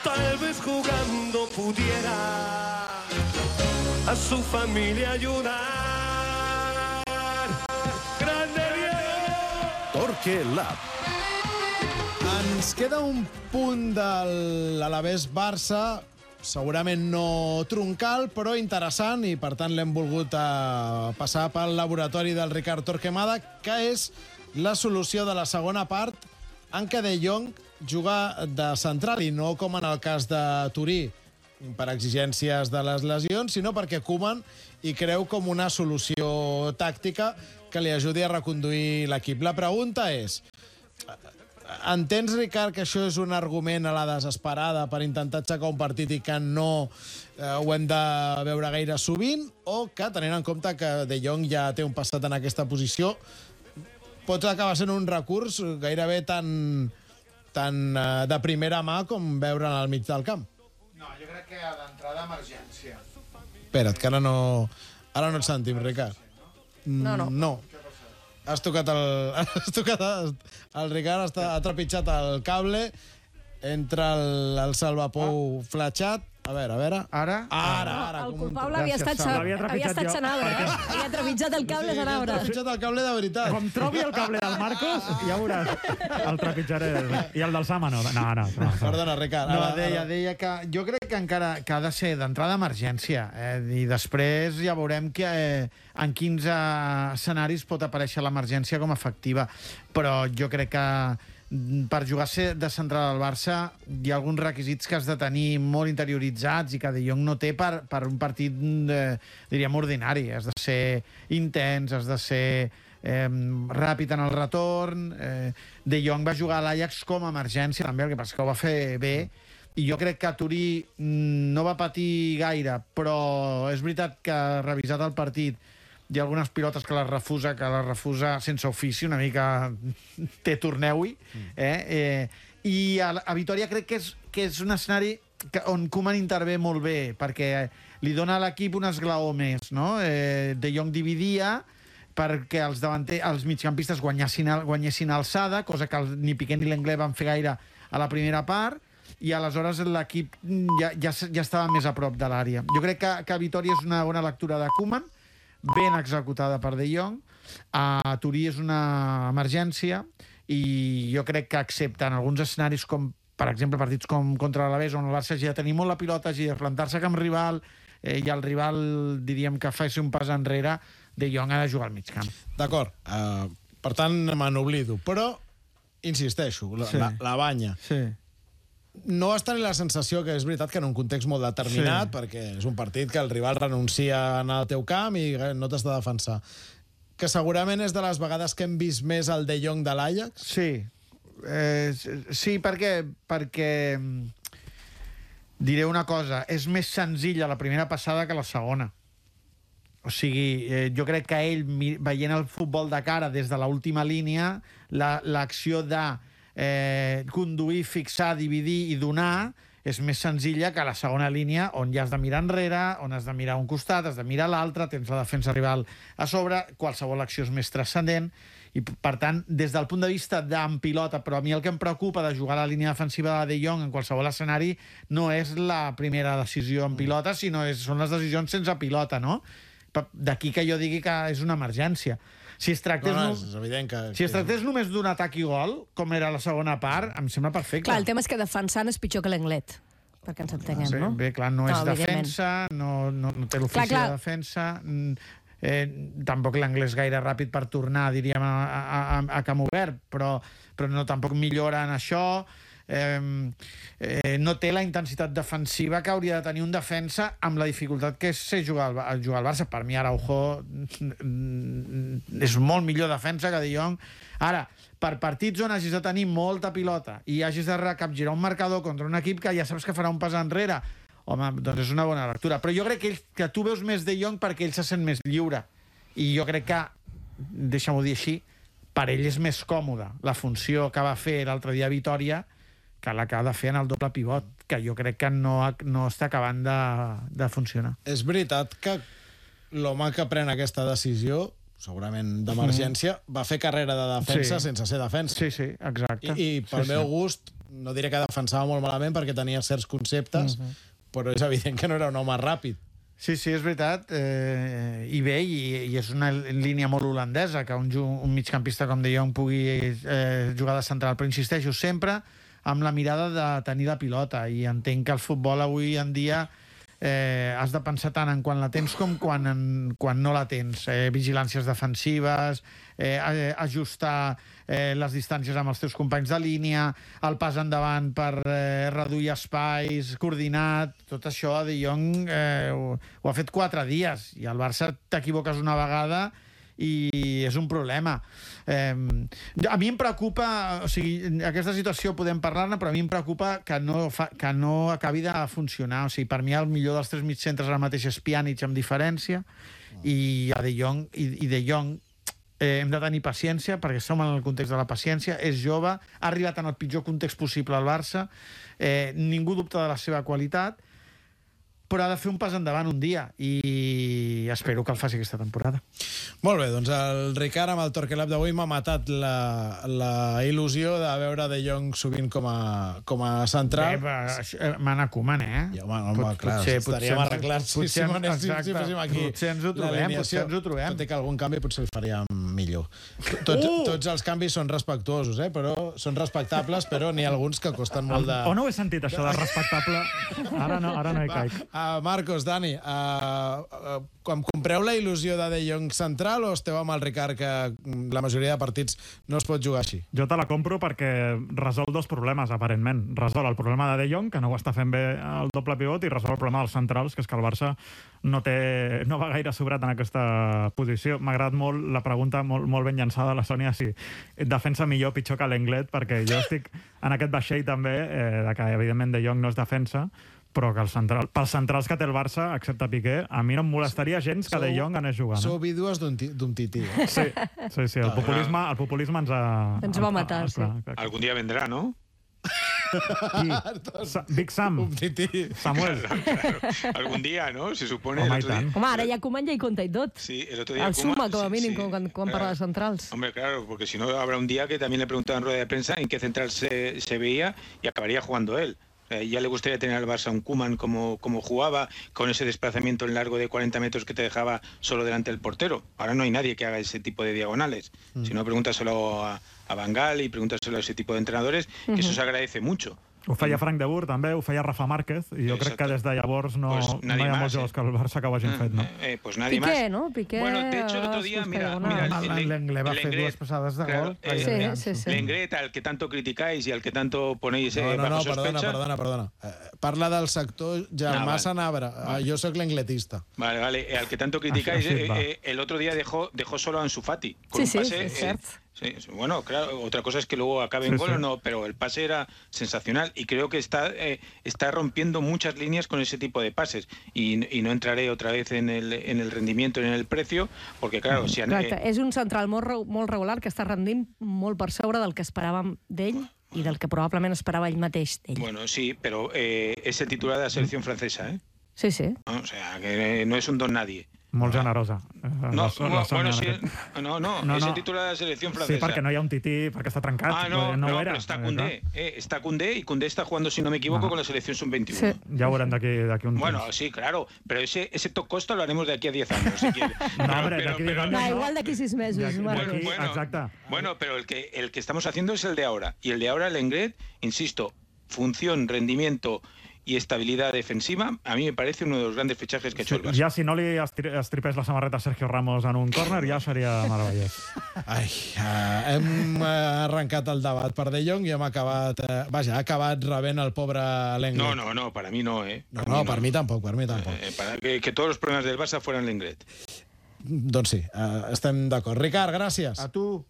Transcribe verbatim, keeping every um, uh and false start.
tal vez jugando pudiera a su familia ayudar. ¡Grande Diego! Torque Lab. Ens queda un punt de l'Alavés Barça, segurament no troncal, però interessant, i per tant l'hem volgut eh, passar pel laboratori del Ricard Torquemada, que és la solució de la segona part en què De Jong juga de central, i no com en el cas de Turí, per exigències de les lesions, sinó perquè Koeman hi creu com una solució tàctica que li ajudi a reconduir l'equip. La pregunta és: entens, Ricard, que això és un argument a la desesperada per intentar aixecar un partit i que no eh, ho hem de veure gaire sovint, o que, tenint en compte que De Jong ja té un passat en aquesta posició, pot acabar sent un recurs gairebé tan, tan eh, de primera mà com veure'n al mig del camp? No, jo crec que d'entrada emergència. Espera't, que ara no, ara no et sentim, Ricard. No, no. No. Has tocat el... Has tocat el, el Ricard està, ha trepitjat el cable entre el, el salvapou ah. fletxat. A veure, a veure. Ara? Ara, ara. El com un- culpable havia estat, Sal. sa- L'havia havia trepitjat estat jo. Sanabre, eh? Havia trepitjat el cable Sí, Sanabre. ha trepitjat el cable de veritat. Com trobi el cable del Marcos, ja veuràs. El trepitjaré. I el del Sama no. No, no. no. Perdona, Ricard. No, ara- deia, ara- deia que jo crec que encara que ha de ser d'entrada emergència, eh, i després ja veurem que eh, en quins eh, escenaris pot aparèixer l'emergència com a efectiva. Però jo crec que mm, per jugar a ser de central al Barça hi ha alguns requisits que has de tenir molt interioritzats i que De Jong no té per, per un partit, eh, diríem, ordinari. Has de ser intens, has de ser eh, ràpid en el retorn. Eh, De Jong va jugar a l'Ajax com a emergència, també, el que passa que ho va fer bé, i jo crec que Turí mm, no va patir gaire, però és veritat que, revisat el partit, hi ha algunes pilotes que les refusa, que les refusa sense ofici, una mica té torneu-hi, eh? eh? I a, a Vitòria crec que és, que és un escenari que, on Koeman intervé molt bé, perquè li dona a l'equip un esglaó més, no? Eh, De Jong dividia perquè els, davanter, els migcampistes guanyessin, guanyessin alçada, cosa que el, ni Piqué ni l'Anglès van fer gaire a la primera part, i aleshores l'equip ja, ja, ja estava més a prop de l'àrea. Jo crec que, que Vitòria és una bona lectura de Koeman, ben executada per De Jong. A Turí és una emergència i jo crec que accepten alguns escenaris com, per exemple, partits com contra l'Alavés, on el Barça hagi de tenir molt la pilota, hagi de plantar-se com rival, eh, i el rival, diríem, que faci un pas enrere, De Jong ha de jugar al mig camp. D'acord. Uh, per tant, me n'oblido. Però, insisteixo, la, Sí. la, la banya. Sí. No vas tenir la sensació que és veritat que en un context molt determinat, Sí. perquè és un partit que el rival renuncia a anar al teu camp i no t'has de defensar, que segurament és de les vegades que hem vist més el De Jong de l'Ajax? Sí. Eh, sí, perquè, perquè diré una cosa, és més senzilla la primera passada que la segona. O sigui, eh, jo crec que ell, veient el futbol de cara des de l'última línia, l'acció la, de eh, conduir, fixar, dividir i donar és més senzilla que la segona línia, on ja has de mirar enrere, on has de mirar un costat, has de mirar l'altre, tens la defensa rival a sobre, qualsevol acció és més transcendent, i per tant, des del punt de vista d'en pilota, però a mi el que em preocupa de jugar a la línia defensiva de De Jong en qualsevol escenari no és la primera decisió en pilota, sinó és, són les decisions sense pilota, no? D'aquí que jo digui que és una emergència. Si es tractés, No, no, no, és evident que... si es tractés només d'un atac i gol, com era la segona part, em sembla perfecte. Clar, el tema és que defensant és pitjor que l'Englet, perquè ens entenguem, Bé, no? bé, clar, no, No, és evidentment. defensa, no, no, no té l'ofici Clar, clar. de defensa, mm, eh, tampoc l'anglès gaire ràpid per tornar, diríem, a, a, a, a camp obert, però, però no, tampoc millora en això. Eh, eh, no té la intensitat defensiva que hauria de tenir un defensa amb la dificultat que és ser jugar al, jugar al Barça. Per mi Araujo és molt millor defensa que De Jong. Ara, per partits on hagis de tenir molta pilota i hagis de recapgirar un marcador contra un equip que ja saps que farà un pas enrere, home, doncs és una bona lectura. Però jo crec que, ell, que tu veus més De Jong perquè ell se sent més lliure. I jo crec que, deixa-m'ho dir així, per ell és més còmode la funció que va fer l'altre dia a Vitòria que la que ha de fer en el doble pivot, que jo crec que no, no està acabant de, de funcionar. És veritat que l'home que pren aquesta decisió, segurament d'emergència, va fer carrera de defensa Sí. sense ser defensa. Sí, sí, exacte. I, i pel sí, meu sí. gust, no diré que defensava molt malament perquè tenia certs conceptes, uh -huh. però és evident que no era un home ràpid. Sí, sí, és veritat. Eh, I bé, i, i és una línia molt holandesa, que un, un migcampista com De Jong pugui eh, jugar de central. Però insisteixo, sempre amb la mirada de tenir la pilota. I entenc que el futbol avui en dia eh, has de pensar tant en quan la tens com quan, en, quan no la tens. Eh, vigilàncies defensives, eh, ajustar eh, les distàncies amb els teus companys de línia, el pas endavant per eh, reduir espais, coordinat, tot això De Jong eh, ho, ho ha fet quatre dies i al Barça t'equivoques una vegada i és un problema. Eh, a mi em preocupa, o sigui, aquesta situació podem parlar-ne, però a mi em preocupa que no, fa, que no acabi de funcionar. O sigui, per mi el millor dels tres mitjcentres ara mateix és Pjanic amb diferència i a De Jong, i, i De Jong eh, hem de tenir paciència perquè som en el context de la paciència, és jove, ha arribat en el pitjor context possible al Barça, eh, ningú dubta de la seva qualitat, però ha de fer un pas endavant un dia i espero que el faci aquesta temporada. Molt bé, doncs el Ricard amb el Torquelab d'avui m'ha matat la, la il·lusió de veure De Jong sovint com a, com a central. Bé, Mana Koeman, eh? Ja, home, home, Pot, clar, potser, estaríem potser, arreglats si, si, exacte, si féssim aquí potser ens ho trobem, potser ens ho trobem. Tot i que algun canvi potser el faríem millor. Tots, uh! tots els canvis són respectuosos, eh? Però són respectables, però n'hi ha alguns que costen molt de... On ho he sentit, això de respectable? Ara no, ara no hi caic. Uh, Marcos, Dani, uh, uh, quan compreu la il·lusió de De Jong central o esteu amb el Ricard que la majoria de partits no es pot jugar així? Jo te la compro perquè resol dos problemes, aparentment. Resol el problema de De Jong, que no ho està fent bé el doble pivot, i resol el problema dels centrals, que és que el Barça no, té, no va gaire sobrat en aquesta posició. M'ha agradat molt la pregunta, molt, molt ben llançada, la Sònia, si defensa millor o pitjor que l'Englet, perquè jo estic en aquest vaixell també, eh, de que evidentment De Jong no és defensa, però que el central, pels centrals que té el Barça, excepte Piqué, a mi no em molestaria gens que De Jong anés jugant. Sou vídues d'un tití. Eh? Sí, sí, sí, el populisme, el populisme ens ha... Ens va matar, sí. Algun dia vendrà, ¿no? Qui? Big Sam. Un tití. Samuel. Claro, claro. Algún día, ¿no? Se supone... Home, el otro día... Home, ara ja Koeman ja hi compta i tot. Sí, el otro día... El suma, Koeman, com a sí, mínim, sí, quan, quan claro. parla de centrals. Hombre, claro, porque si no habrá un día que también le preguntaban en rueda de prensa en qué central se, se veía y acabaría jugando él. Eh, ya le gustaría tener al Barça un Koeman como, como jugaba, con ese desplazamiento en largo de cuarenta metros que te dejaba solo delante del portero. Ahora no hay nadie que haga ese tipo de diagonales. Mm. Si no, pregúntaselo a, a Van Gaal y pregúntaselo a ese tipo de entrenadores, que uh-huh. eso se agradece mucho. Ho feia Frank de Boer, també, ho feia Rafa Márquez, i jo Exacte. crec que des de llavors no, pues no hi ha molts jugadors eh? que el Barça que ho hagin fet, no? Eh, pues nadie Piqué, más. ¿no? Piqué... Bueno, de hecho, el otro día, mira... mira L'Englet va fer dues passades de claro, gol. Eh, sí, sí, sí. L'Englet, al que tanto criticáis y al que tanto ponéis eh, no, no, bajo no, sospecha... Perdona, perdona, perdona. Eh, parla del sector Germà ah, Sanabra. Vale. Jo sóc l'engletista. Vale, vale. Eh, al que tanto criticáis, ah, sí, eh, eh, el otro día dejó, dejó solo a Ansu Fati. Con sí, un pase, sí, es cierto. Eh, Sí, bueno, claro, otra cosa es que luego acabe en sí, gol o sí. no, pero el pase era sensacional y creo que está, eh, está rompiendo muchas líneas con ese tipo de pases y, y no entraré otra vez en el, en el rendimiento ni en el precio, porque claro... Si han, Exacte, eh... és un central molt, molt regular que està rendint molt per sobre del que esperàvem d'ell i del que probablement esperava ell mateix d'ell. Bueno, sí, pero eh, es el titular de la selección francesa, ¿eh? Sí, sí. O sea, que no es un don nadie. Molt generosa. No, la, la bueno, sí, no, no, no, és el titular de la selecció francesa. Sí, perquè no hi ha un tití, perquè està trencat. Ah, no, no, no era. Però està Koundé, eh, está Koundé y Koundé está jugando, si no me equivoco, no. con la selección sub veintiuno. Sí. Ya verán de aquí, de aquí un Bueno, temps. sí, claro, pero ese, ese top costa lo haremos de aquí a diez años, si quieres. No, pero, hombre, pero, de aquí pero, años, no, no. igual d'aquí sis mesos, aquí, Marcos. Aquí, bueno, exacte. Bueno, pero el que, el que estamos haciendo es el de ahora. Y el de ahora, el Englet, insisto, función, rendimiento y estabilidad defensiva, a mí me parece uno de los grandes fichajes que ha hecho el Barça. Ja si no li estripés la samarreta a Sergio Ramos en un córner, ja seria meravellós. Ai, uh, hem arrencat el debat per De Jong i hem acabat... Uh, vaja, ha acabat rebent el pobre l'Englet. No, no, no, para mí no, ¿eh? No, no, per mi tampoc, per mi tampoc. Eh, para que, que todos los problemas del Barça fueran l'Englet. Doncs sí, uh, estem d'acord. Ricard, gràcies. A tu.